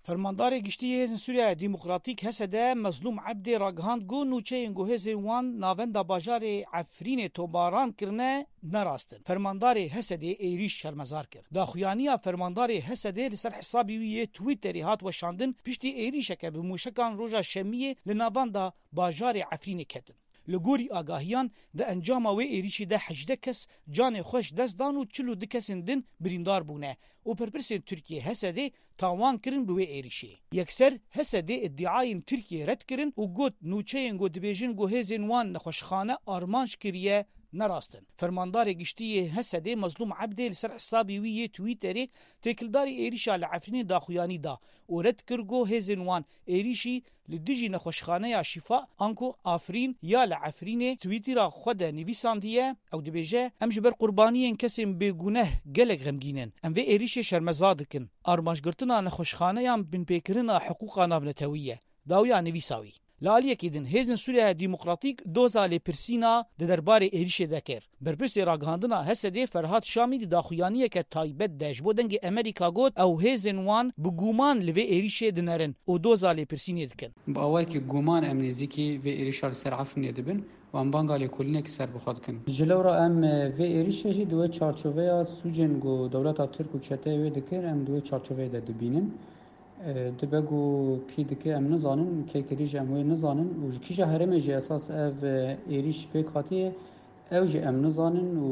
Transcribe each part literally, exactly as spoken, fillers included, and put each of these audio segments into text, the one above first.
Fermandarê Giştî yê Hêzên Sûriya Demokratîk, H S D, Mezlûm Ebdê ragihand ku nûçeyên ku hêzên wan navenda bajarê Efrînê tomaran kirine, ne rast in. Fermandarê H S D'ê êrîş şermezar kir. Daxuyaniya fermandarê H S D'ê li ser hesabê wî yê Twitterê hat weşandin, piştî êrîşeke bi mûşekan roja Şemiyê li navenda bajarê Efrînê ketin. Li gorî agahiyan, di encama wê êrîşê de hejdeh kes canê xwe ji dest dan û çil û du kesên din birîndar bûne û berpirsên Tirkiyê H S D'ê tawan kirin bi wê êrîşê. Yekser H S D'ê îdiayên Tirkiyê red kirin û got, nûçeyên ku dibêjin ku hêzên wan nexweşxane armanc kiriye, ne rast in. Fermandarê Giştî yê H S D'ê Mezlûm Ebdê li ser hesabê wî yê Twitterê têkildarî êrîşa li Efrînê daxuyanî da û red kir ku hêzên wan êrîşî li dijî nexweşxaneya Şîfa, anku Afrîn ya li Efrînê, Twitter'a xwe de nivîsandiye. Ew dibêje, em ji ber qurbaniyên kesên bêguneh gelek xemgîn in. Em vê êrîşê şermezar dikin. Armancgirtina nexweşxaneyan binpêkirina hiqûqa navnetewî ye. Dawiya nivîsa wî. Li aliyekî din, Hêzên Sûriya Demokratîk doza lêpirsîna di derbarê êrîşê de kir. Berpirsê ragihandina H S D'ê Ferhat Şamî di daxuyaniyeke taybet de ji bo Dengê Amerîka got, ew hêzên wan bi guman li vê êrîşê dinerin û doza lêpirsînê dikin. Bi awayekî guman em nêzîkî vê êrîşa li ser Efrînê dibin û em banga lêkolînekî ser bi xwe dikin. Ji lewra em, e, vê êrîşê jî di wê çarçoveya sûcên ku dewleta Tirk û çeteyê wê dikir, em di wê çarçoveyê de dibînin. E, dibe ku kî dike em nizanin, kê kirî jî em wê nizanin û ji kîja herêmê jî esas ev, e, êrîş pêk hatiye, ew jî em nizanin û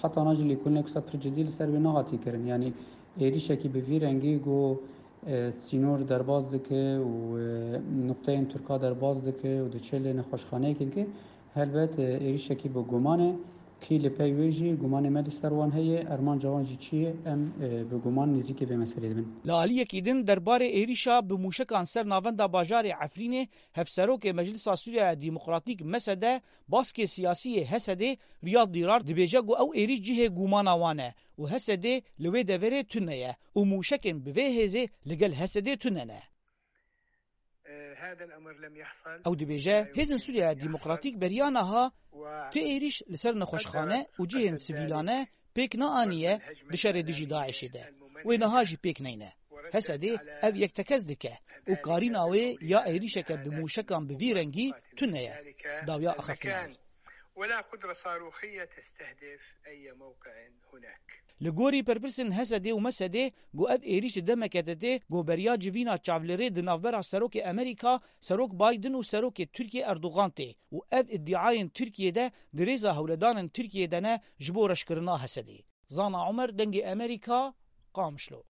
heta na jî lêkolînek wisa pir cidî li ser wê nehatiye kirin. Yanî êrîşekî bi vî rengî ku, e, sînor derbas dike û, e, nuqteyên Tirka derbas dike û diçe lê nexweşxaneyekê dike, helbet, e, êrîşekî bi guman e. Kî li pey wê jî gumanê me li ser wan heye, armanca wan jî çi ye, em, e, bi guman nêzîkî vê meseleyê dibin. Li aliyekî din, derbarê êrîşa bi mûşekan ser navenda bajarê Efrînê, Hevserokê Meclisa Sûriya Demokratîk, M S D, baskê siyasî yê H S D'ê Riyad Dîrar dibêje ku ew êrîş cihê gumana wan e û H S D li wê deverê tune ye û mûşekên bi vê hêzê li gel H S D'ê tune ne. Ew dibêje, Hêzên Sûriya Demokratîk beriya niha tu êrîş li ser nexweşxane û cihên sivîlane pêk neaniye di şerê dijî DAIŞê de. Wê niha jî pêk neyne. H S D'ê ev yek tekez dike û karîna wê ya êrîşeke bi mûşekan bi vî rengî tune ye. Dawiya axaftina wî. Li gorî berpirsên H S D'ê û M S D'ê, ku ev êrîş di demeke de tê ku beriya civîna çavlêrê di navbera Serokê Amerîka, Serok Biden û Serokê Tirkiyê Erdogan tê û ev îdiayên Tirkiyê de di rêza hewledanên Tirkiyê de ne ji bo reşkirina H S D'ê. Zana Omer, Dengê Amerîka, Qamişlo.